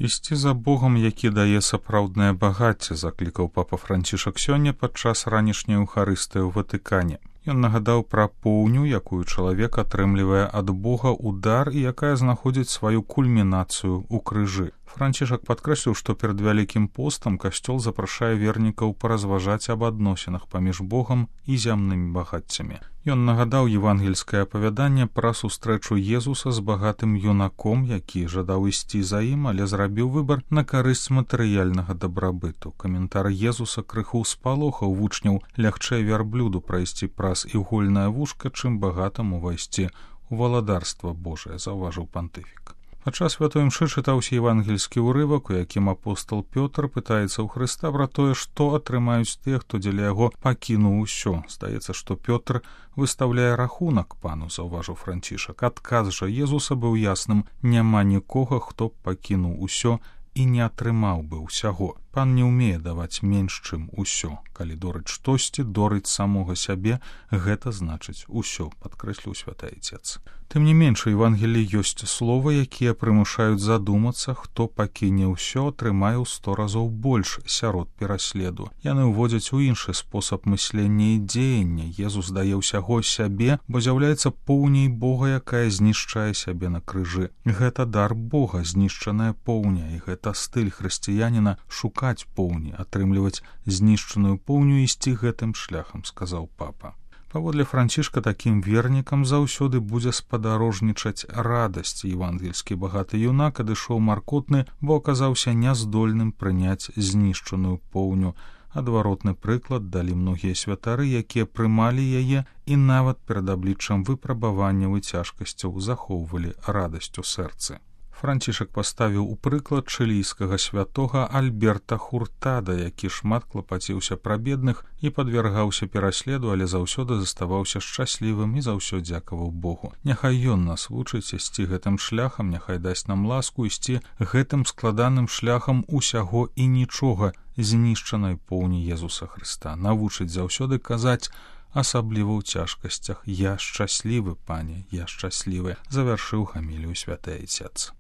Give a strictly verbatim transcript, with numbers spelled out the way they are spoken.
Ісці за Богом, які дае сапраўднае багацце, заклікаў папа Францішак сёння падчас ранішняй эўхарыстыі ў Ватыкане. Ён нагадаў пра поўню, якую чалавек атрымлівае ад Бога ў дар і якая знаходзіць сваю кульмінацыю ў крыжы. Францішак падкрэсліў, што перад Вялікім постам касцёл запрашае вернікаў паразважаць аб адносінах паміж Богам і зямнымі багаццямі. Ён нагадаў евангельскае апавяданне пра сустрэчу Езуса з багатым юнаком, які жадаў ісці за ім, але зрабіў выбар на карысць матэрыяльнага дабрабыту. Каментар Езуса крыху спалохаў вучняў: лягчэй вярблюду прайсці праз ігольнае вушка, чым багатаму увайсці ў валадарства Божае, заўважыў пантыфік. Падчас святой імшы чытаўся евангельскі ўрывак, у якім апостол Пётр пытаецца ў Хрыста пра тое, што атрымаюць тыя, хто дзеля яго пакінуў усё. Здаецца, што Пётр выстаўляе рахунак пану, заўважыў Францішак. Адказ жа Езуса быў ясным: няма нікога, хто б пакінуў усё і не атрымаў бы ўсяго. Пан не ўмее даваць менш, чым усё. Калі дорыць штосьці, дорыць самога сябе, гэта значыць усё, падкрэсліў святы Айцец. Тым не менш, у Евангеліі ёсць словы, якія прымушаюць задумацца: хто пакіне ўсё, атрымае ў сто разоў больш сярод пераследу. Яны ўводзяць у іншы спосаб мыслення і дзеяння. Езус дае ўсяго сябе, бо з'яўляецца поўняй Бога, якая знішчае сябе на крыжы. Гэта дар Бога, знішчаная поўня, і гэта стыль хрысціяніна — шукаць поўні, атрымліваць знішчаную поўню, ісці гэтым шляхам, сказаў папа. Паводле Францішка, такім вернікам заўсёды будзе спадарожнічаць радасць. Евангельскі багаты юнак адышоў маркотны, бо аказаўся няздольным прыняць знішчаную поўню. Адваротны прыклад далі многія святары, якія прымалі яе і нават перад абліччам выпрабаванняў і цяжкасцяў захоўвалі радасць у сэрцы. Францішак паставіў у прыклад чылійскага святога Альберта Хуртада, які шмат клапаціўся пра бедных і падвяргаўся пераследу, але заўсёды заставаўся шчаслівым і за ўсё дзякаваў Богу. Няхай ён нас вучыць ісці гэтым шляхам, няхай дасць нам ласку ісці гэтым складаным шляхам усяго і нічога, знішчанай поўні Езуса Хрыста. Навучыць заўсёды казаць, асабліва ў цяжкасцях: я шчаслівы, пане, я шчаслівы, завяршыў гамілію святы Айцец.